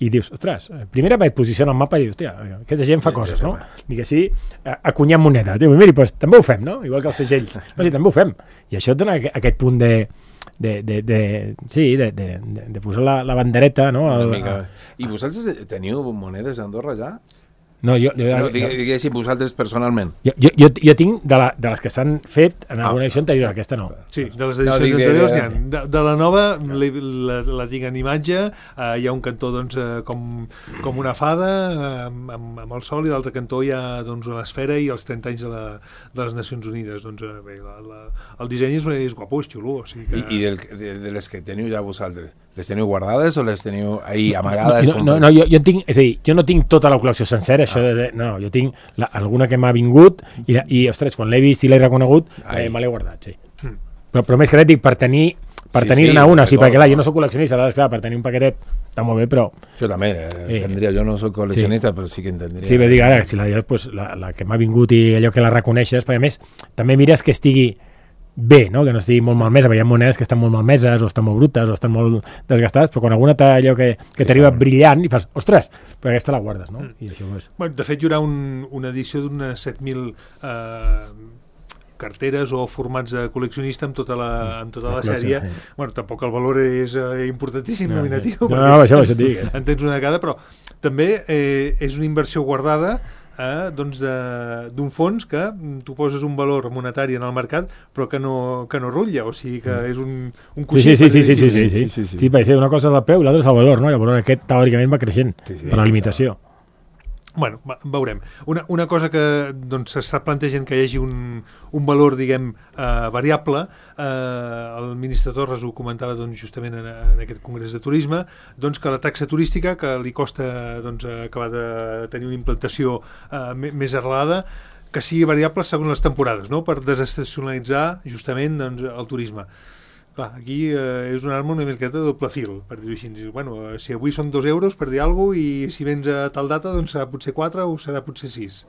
C: i dius, ostres, primera et posiciona al mapa i dius, hòstia, aquesta gent fa coses, no? Ni que sí, acunyant moneda. Diu, miri, doncs també ho fem, no? Igual que els segells. No, sí, també ho fem. I això et dona aquest punt de posar la bandereta, no?
D: I vosaltres teniu monedes a Andorra ja?
C: No,
D: diguéssim, vosaltres personalment.
C: Jo tinc de les que s'han fet en alguna edició anterior, aquesta no.
B: Sí, de les edicions anteriors n'hi ha. De la nova la tinc en imatge, hi ha un cantó doncs, com una fada amb el sol i l'altre cantó hi ha doncs, l'esfera i els 30 anys de les Nacions Unides. Doncs, bé, el disseny és guapo, és xulo. O sigui que...
D: I de les que teniu ja vosaltres, les teniu guardades o les teniu ahí amagades?
C: No, jo tinc, és a dir, jo no tinc tota la col·lecció sencera, no, jo tinc alguna que m'ha vingut i ostres, quan l'he vist i l'he reconegut me l'he guardat, sí. Però més que res dic per tenir-ne una, sí, perquè clar, jo no soc col·leccionista, clar, per tenir un paquetet està molt bé, però...
D: Jo també, entendria, jo no soc col·leccionista, però sí que entendria.
C: Sí, bé, dic, ara, si la que m'ha vingut i allò que la reconeixes, perquè a més, també mires que estigui bé, no? Que no estigui molt malmesa, perquè hi ha monedes que estan molt malmeses o estan molt brutes o estan molt desgastades, però quan alguna té allò que t'arriba brillant i fas, ostres, però aquesta la guardes, no? I això és...
B: Bueno, de fet, hi haurà una edició d'unes 7.000 carteres o formats de col·leccionista amb tota la sèrie. Sí. Bueno, tampoc el valor és importantíssim, nominatiu.
C: No, això et dic.
B: En tens una de cada, però també és una inversió guardada doncs d'un fons que tu poses un valor monetari en el mercat però que no rutlla, o sigui que és un coixí.
C: Sí, perquè una cosa és el preu i l'altra és el valor, no? I el valor aquest teòricament va creixent per la limitació.
B: Bueno, veurem. Una cosa que doncs, s'està plantejant que hi hagi un valor, diguem, variable. El ministre Torres ho comentava doncs, justament en aquest congrés de turisme, doncs, que la taxa turística, que li costa doncs, acabar de tenir una implantació més arrelada, que sigui variable segons les temporades, no? Per desestacionalitzar justament doncs, el turisme. Clar, aquí és una arma una miqueta de doble fil, per dir-ho així. Bueno, si avui són 2 euros per dir alguna cosa i si vens a tal data doncs serà potser 4 o serà potser 6.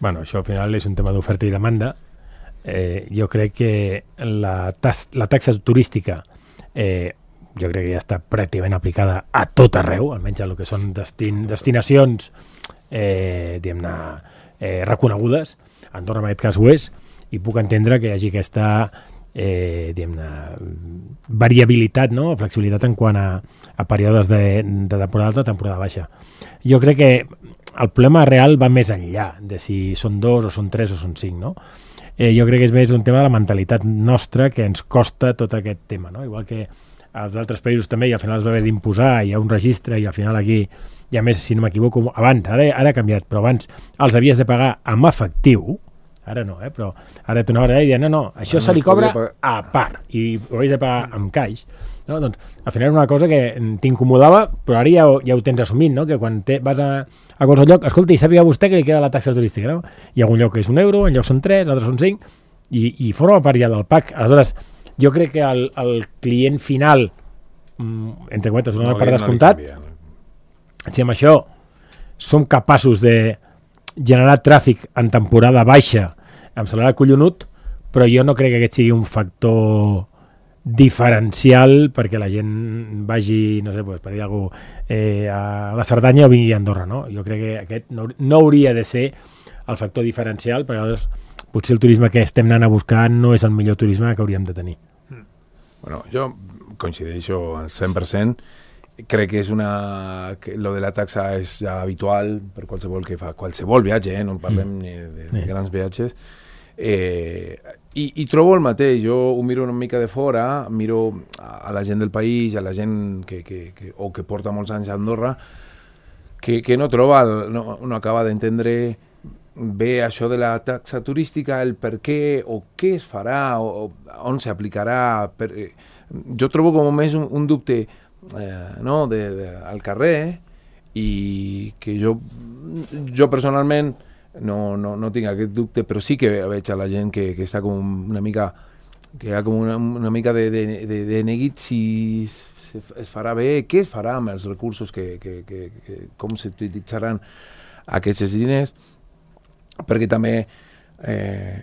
C: Bueno, això al final és un tema d'oferta i demanda. Jo crec que la taxa turística jo crec que ja està pràcticament aplicada a tot arreu, almenys a el que són destinacions diguem-ne reconegudes. Andorra en aquest cas ho és, i puc entendre que hi hagi aquesta variabilitat, no? Flexibilitat en quant a períodes de temporada alta, temporada baixa. Jo crec que el problema real va més enllà de si són 2 o són 3 o són 5, no? Jo crec que és més un tema de la mentalitat nostra que ens costa tot aquest tema, no? Igual que als altres països també, i al final es va haver d'imposar, hi ha un registre i al final aquí, i a més, si no m'equivoco, abans, ara ha canviat, però abans els havies de pagar amb efectiu. Ara no, però ara tu anaves a dir, no, això se li cobra a part i ho havies de pagar amb caix, no? Doncs al final era una cosa que t'incomodava, però ara ja ho tens assumit, no? Que quan vas a qualsevol lloc, escolta, i sàpiga vostè que li queda la taxa turística, no? Hi ha un lloc que és 1 euro, en lloc són 3, altres són 5, i forma part ja del PAC. Aleshores, jo crec que el client final, entre cometes, una part descomptat, si amb això som capaços de generar tràfic en temporada baixa em semblarà collonut, però jo no crec que aquest sigui un factor diferencial perquè la gent vagi, no sé, per dir alguna cosa, a la Cerdanya o vingui a Andorra, no? Jo crec que aquest no hauria de ser el factor diferencial, perquè llavors potser el turisme que estem anant a buscar no és el millor turisme que hauríem de tenir.
D: Bueno, jo coincideixo al 100%. Crec que és lo de la taxa és ja habitual per qualsevol que fa qualsevol viatge, no parlem ni de grans viatges. I trobo el mateix, jo ho miro una mica de fora, miro a la gent del país, a la gent que porta molts anys a Andorra, que no troba, no acaba d'entendre bé això de la taxa turística, el per què, o què es farà, o on s'aplicarà. Jo trobo com més un dubte al carrer, i que jo personalment no tinc aquest dubte, però sí que veig a la gent que està com una mica hi ha com una mica de neguit si es farà bé, què es farà amb els recursos, com s'utilitzaran aquests diners, perquè també,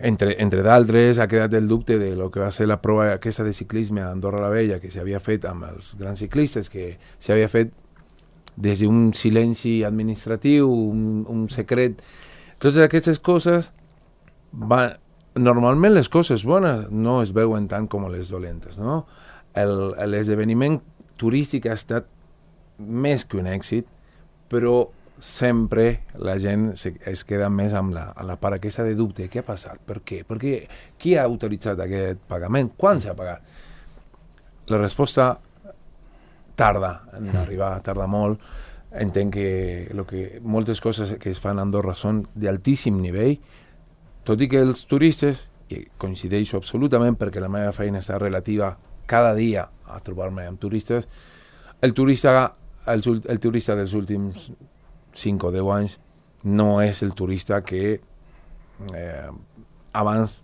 D: entre d'altres, ha quedat el dubte de lo que va ser la prova aquesta de ciclisme a Andorra la Vella, que s'havia fet amb els grans ciclistes, que s'havia fet des d'un silenci administratiu, un secret. Totes aquestes coses normalment les coses bones no es veuen tant com les dolentes, no? L'esdeveniment turístic ha estat més que un èxit, però sempre la gent es queda més amb la part aquesta de dubte. Què ha passat? Per què? Qui ha autoritzat aquest pagament? Quan s'ha pagat? La resposta tarda en arribar, tarda molt. Entenc que moltes coses que es fan a Andorra són d'altíssim nivell, tot i que els turistes, i coincideixo absolutament perquè la meva feina està relativa cada dia a trobar-me amb turistes, el turista dels últims 5 o 10 anys no és el turista que abans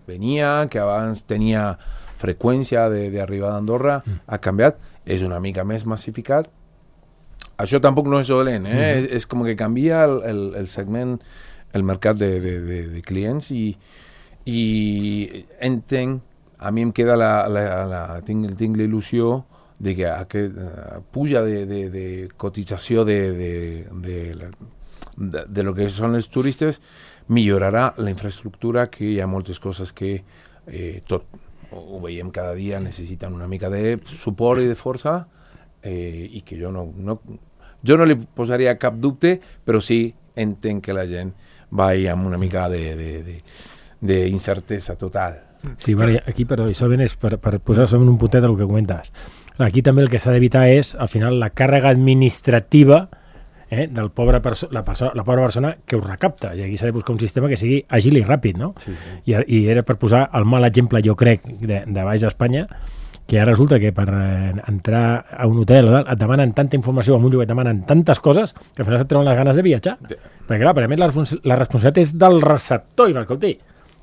D: venia, que abans tenia freqüència d'arribada a Andorra, ha canviat, és una mica més massificat. Això tampoc no és dolent, és com que canvia el segment, el mercat de clients i entenc, a mi em queda tinc l'il·lusió de que aquest puja de cotització de lo que són els turistes millorarà la infraestructura, que hi ha moltes coses que ho veiem cada dia, necessiten una mica de suport i de força, i que jo no li posaria cap dubte, però sí entenc que la gent va amb una mica d'incertesa total.
C: Sí, bueno, aquí, perdó, això és per posar-se en un puntet del que comentes. Aquí també el que s'ha d'evitar és, al final, la càrrega administrativa del la pobra persona que ho recapta. I aquí s'ha de buscar un sistema que sigui àgil i ràpid, no? Sí. I era per posar el mal exemple, jo crec, de baix d'Espanya, que ara resulta que per entrar a un hotel et demanen tanta informació, a un lloc et demanen tantes coses, que al final et treuen les ganes de viatjar. Perquè, clar, per a més, la responsabilitat és del receptor. I va, escolti,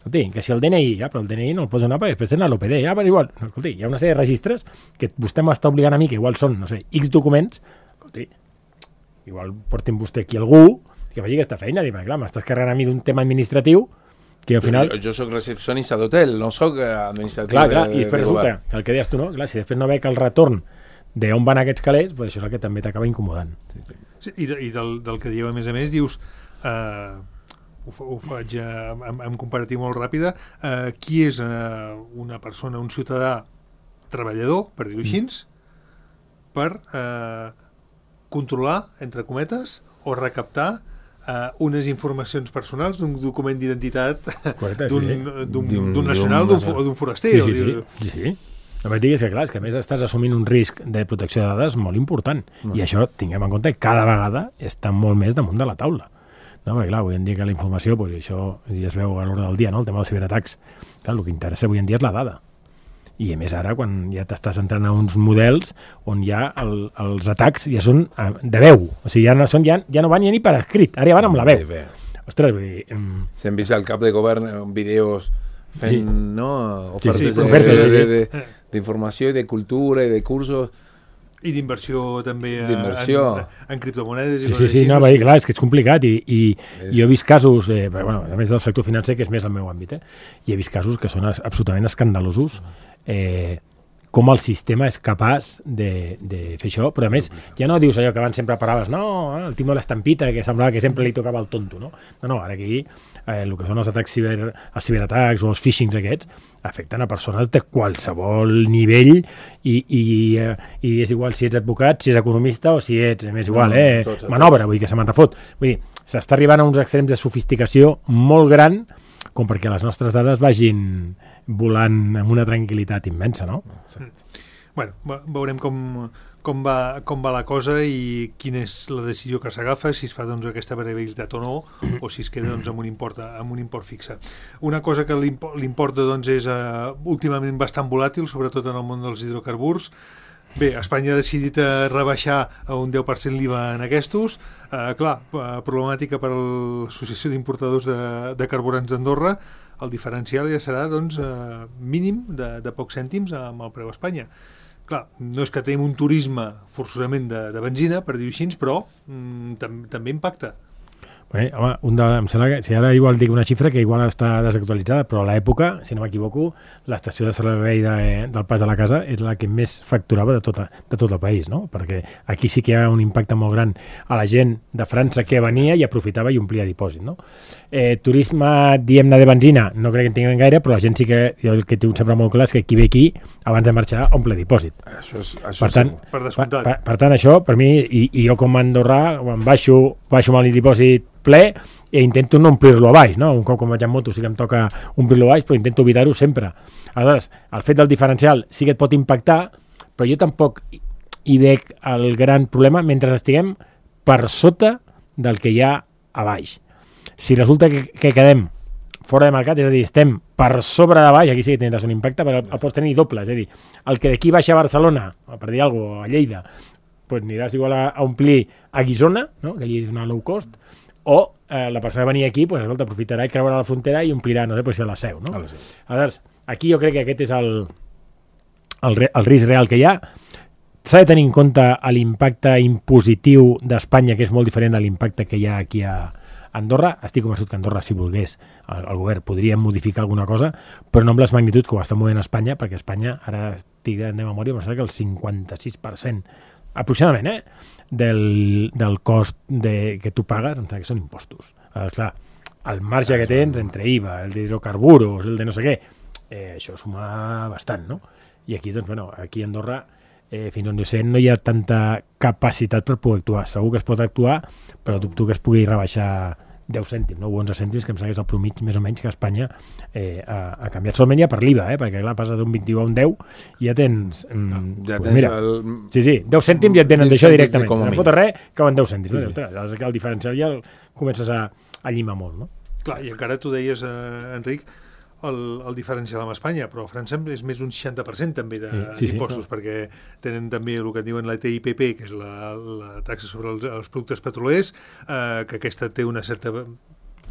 C: que si el DNI, però el DNI no el pots donar perquè després tenen l'OPD, però igual, escolti, hi ha una sèrie de registres que vostè m'està obligant a mi, que igual són, no sé, X documents, escolti, igual portin vostè aquí algú que faci aquesta feina, perquè clar, m'estàs carregant a mi d'un tema administratiu que al final...
D: Jo soc recepcionista d'hotel, no soc administratiu
C: i després resulta que el que deies tu, no? Clar, si després no veig el retorn d'on van aquests calés, doncs això és el que també t'acaba incomodant.
B: Sí, i del que dieu a més, dius... ho faig en comparatiu molt ràpida, qui és una persona, un ciutadà treballador, per dir-ho així, per controlar, entre cometes, o recaptar unes informacions personals d'un document d'identitat d'un nacional o d'un foraster.
C: Sí. La veritat és que, clar, és que a més estàs assumint un risc de protecció de dades molt important, i això, tinguem en compte, cada vegada està molt més damunt de la taula. No, perquè clar, avui en dia que la informació, doncs això ja es veu a l'hora del dia, no? El tema dels ciberatacs. Clar, el que interessa avui en dia és la dada. I a més ara, quan ja t'estàs entrant a uns models on ja els atacs ja són de veu. O sigui, ja no van ni per escrit, ara ja van amb la veu. Ostres, vull dir...
D: S'hem vist al cap de govern vídeos fent, ofertes d'informació i de cultura i de cursos.
B: I d'inversió també en criptomonedes.
C: No, va dir, clar, és que és complicat i jo he vist casos, a més del sector financer, que és més el meu àmbit, i he vist casos que són absolutament escandalosos, com el sistema és capaç de fer això, però a més ja no dius allò que abans sempre paraves, no, el Timo l'estampita, que semblava que sempre li tocava el tonto, no? No, ara aquí el que són els atacs els ciberatacs o els phishings aquests afecten a persones de qualsevol nivell i és igual si ets advocat, si ets economista o si ets, més igual, manobra, vull dir que se me'n refot. Vull dir, s'està arribant a uns extrems de sofisticació molt gran com perquè les nostres dades vagin volant amb una tranquil·litat immensa, no?
B: Bueno, veurem com va la cosa i quina és la decisió que s'agafa, si es fa aquesta variabilitat o no, o si es queda amb un import fixe. Una cosa que l'import és últimament bastant volàtil, sobretot en el món dels hidrocarburs. Bé, Espanya ha decidit rebaixar a un 10% l'IVA en aquests. Clar, problemàtica per a l'Associació d'Importadors de Carburants d'Andorra. El diferencial ja serà doncs, mínim de pocs cèntims amb el preu a Espanya. Clar, no és que tenim un turisme forçosament de benzina, per dir-ho així, però també impacta.
C: Bé, home, em sembla que, si ara igual dic una xifra que igual està desactualitzada, però a l'època, si no m'equivoco, l'estació de servei del Pas de la Casa és la que més facturava de tot el país, no? Perquè aquí sí que hi ha un impacte molt gran a la gent de França que venia i aprofitava i omplia dipòsit, no? Turisme, diguem-ne, de benzina, no crec que en tinguem gaire, però la gent sí que, jo el que tinc sempre molt clar és que qui ve aquí, abans de marxar, omple dipòsit.
D: Això
C: per tant,
B: per descomptat.
C: Per tant, això, per mi, i jo com a andorrà, quan baixo amb el dipòsit ple i intento no omplir-lo a baix, no? Un cop com vaig en moto sí que em toca omplir-lo a baix, però intento evitar-ho sempre. Aleshores, el fet del diferencial sí que et pot impactar, però jo tampoc hi veig el gran problema mentre estiguem per sota del que hi ha a baix. Si resulta que quedem fora de mercat, és a dir, estem per sobre de baix, aquí sí que tindràs un impacte, però el pots tenir doble, és a dir, el que d'aquí baixa a Barcelona, per dir alguna cosa, a Lleida, pues aniràs igual a omplir a Guissona, no? Que allí és una low cost, o la persona que venia aquí, pues, escolta, aprofitarà i creuarà la frontera i omplirà, no sé, pues, a la Seu, no? Aleshores, aquí jo crec que aquest és el risc real que hi ha. S'ha de tenir en compte l'impacte impositiu d'Espanya, que és molt diferent de l'impacte que hi ha aquí a Andorra. Estic convençut que Andorra, si volgués, el govern podria modificar alguna cosa, però no amb les magnituds que ho està movent Espanya, perquè Espanya, ara estic de memòria, em sembla que el 56%, aproximadament, del cost que tu pagues, que són impostos. Clar, el marge que tens entre IVA, el d'hidrocarburos, el de no sé què, això suma bastant, no? I aquí, doncs, bueno, aquí a Andorra, fins on jo sé, no hi ha tanta capacitat per poder actuar. Segur que es pot actuar, però dubto que es pugui rebaixar 10 cèntims, no? 11 cèntims, que em sembla que és el promig més o menys que Espanya ha canviat. Solament ja per l'IVA, perquè clar, passa d'un 21 a un 10 i ja tens...
D: ja
C: pues
D: tens
C: mira, sí, 10 cèntims ja et venen d'això directament. No em fota res, acaben 10 cèntims. Sí, sí. El diferencial ja el comences a llimar molt, no?
B: Clar, i encara tu deies, Enric, el diferencial amb Espanya, però a França és més d'un 60% també d'impostos, perquè tenen també el que diuen la TIPP, que és la taxa sobre els productes petrolers, que aquesta té una certa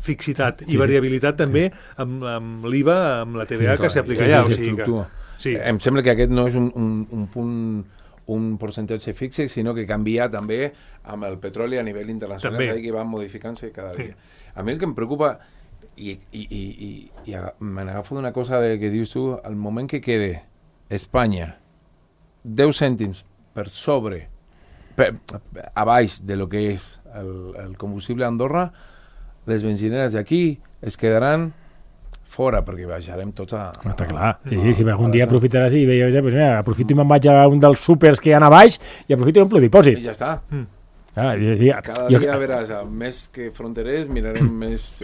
B: fixitat i variabilitat també amb l'IVA, amb la TVA que s'aplica allà. O sigui que,
D: em sembla que aquest no és un punt, un percentatge fixe, sinó que canvia també amb el petroli a nivell internacional, que va modificant-se cada dia. A mi el que em preocupa i me n'agafo d'una cosa que dius tu, al moment que quede Espanya 10 cèntims per sobre, a baix de lo que és el combustible a Andorra, les benzineres d'aquí es quedaran fora, perquè baixarem tots a...
C: Està clar, si algun dia aprofitaràs i veieu, pues mira, aprofito i me'n vaig a un dels súpers que hi ha a baix i aprofito i omplo dipòsit.
D: I ja està.
C: Cada
D: dia veràs, més que fronterers, mirarem més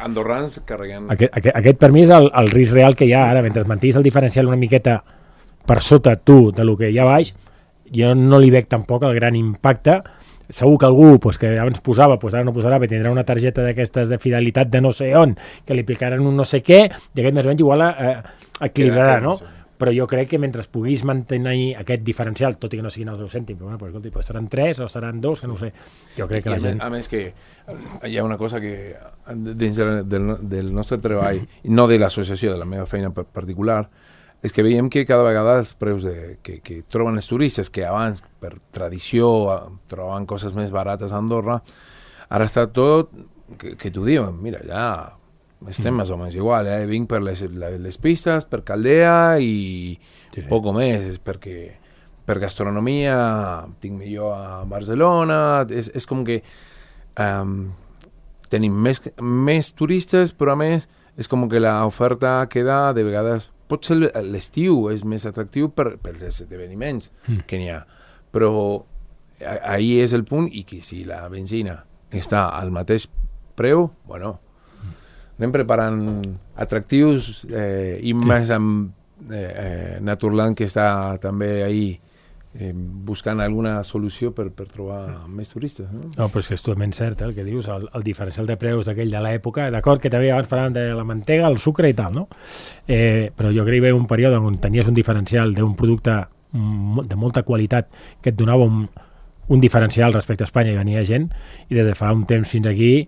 D: andorrans carregant...
C: Aquest per mi és el risc real que hi ha ara, mentre mantiguis el diferencial una miqueta per sota tu de lo que hi ha baix, jo no li veig tampoc el gran impacte. Segur que algú que abans posava, ara no posarà, perquè tindrà una targeta d'aquestes de fidelitat de no sé on, que li aplicaran un no sé què, i aquest més o menys igual equilibrarà, no? Però jo crec que mentre puguis mantenir aquest diferencial, tot i que no siguin els 10 cèntims, però escolta, seran 3 o seran 2, que no ho sé. Jo crec que la gent...
D: A més que hi ha una cosa que dins del nostre treball, no de l'associació, de la meva feina particular, és que veiem que cada vegada els preus que troben els turistes, que abans, per tradició, trobaven coses més barates a Andorra, ara està tot, que t'ho diuen, mira, ja estem més o menys igual, vinc per les pistes, per Caldea i poc més, perquè per gastronomia tinc millor a Barcelona, és com que tenim més turistes, però a més és com que l'oferta queda de vegades... Potser l'estiu és més atractiu pels esdeveniments que n'hi ha, però ahí és el punt, i que si la benzina està al mateix preu, bueno, anem preparant atractius i més amb Naturland, que està també ahí buscant alguna solució per trobar més turistes.
C: No, però és que és totalment cert, el que dius, el diferencial de preus d'aquell de l'època, d'acord que també abans parlàvem de la mantega, el sucre i tal, no? Però jo crec que hi va un període on tenies un diferencial d'un producte de molta qualitat, que et donava un diferencial respecte a Espanya, i venia gent, i des de fa un temps fins aquí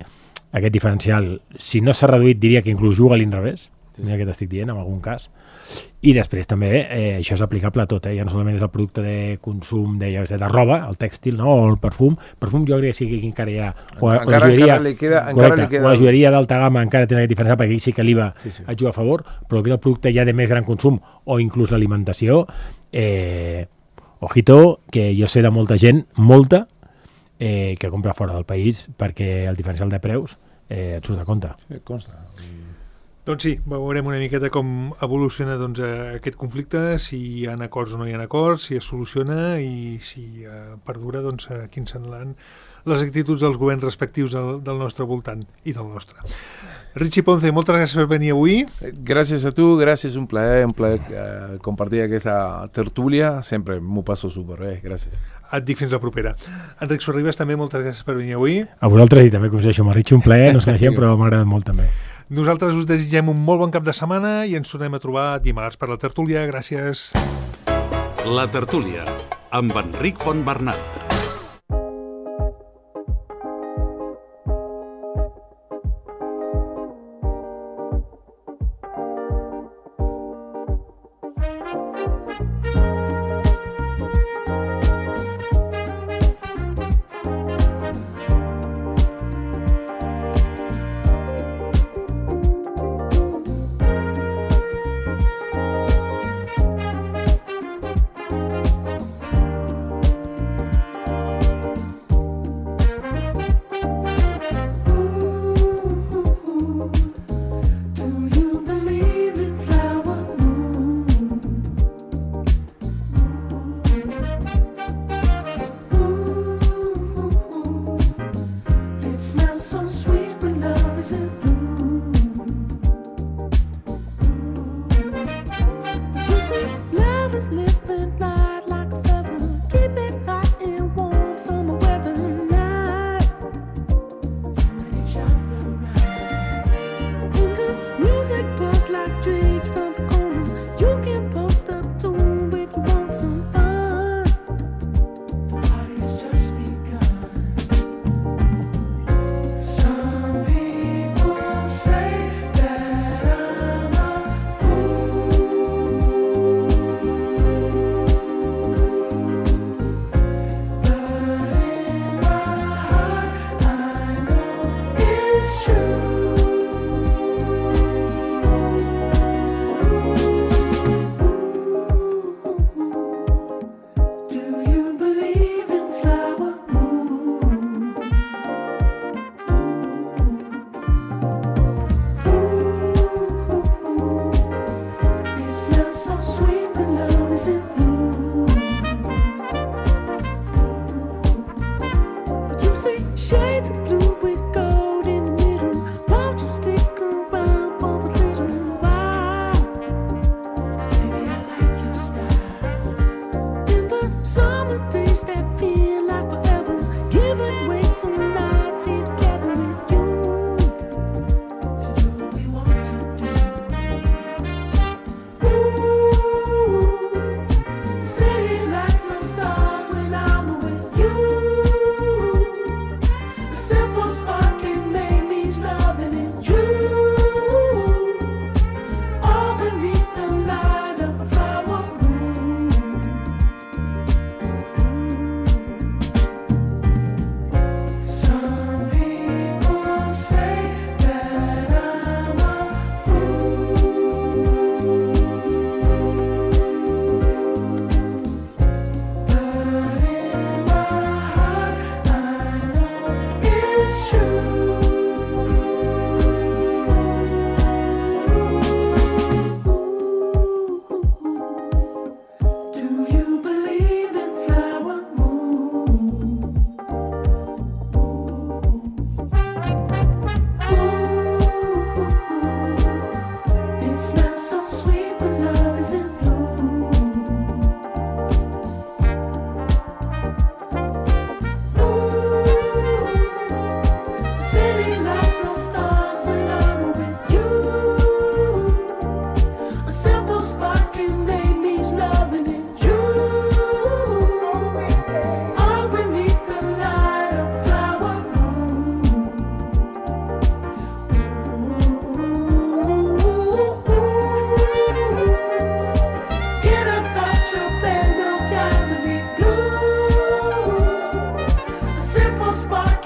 C: aquest diferencial, si no s'ha reduït, diria que inclús juga a l'inrevés, mira què t'estic dient, en algun cas. I després també això és aplicable a tot, ja no solament és el producte de consum de roba, el tèxtil, no? O el perfum jo crec que sí que encara hi ha
D: encara li queda
C: la joieria d'alta gamma encara té aquest diferencial, perquè aquí sí que l'IVA et juga a favor, però que el producte ja de més gran consum o inclús l'alimentació, ojito, que jo sé de molta gent, que compra fora del país perquè el diferencial de preus et surt de compte.
D: Sí, consta.
B: Doncs sí, veurem una miqueta com evoluciona aquest conflicte, si hi ha acords o no hi ha acords, si es soluciona i si perdura, quins seran les actituds dels governs respectius del nostre voltant i del nostre. Richie Ponce, moltes gràcies per venir avui.
D: Gràcies a tu, gràcies, un plaer compartir aquesta tertúlia, sempre m'ho passo superbé, gràcies.
B: Et dic fins la propera. Enric Sorribes, també moltes gràcies per venir avui.
C: A vosaltres i també coneixo amb el Richie, un plaer, no ens coneixem però m'ha agradat molt també.
B: Nosaltres us desitgem un molt bon cap de setmana i ens tornem a trobar dimarts per la tertúlia. Gràcies.
A: La tertúlia, amb Enric Fontbernat.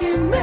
E: que me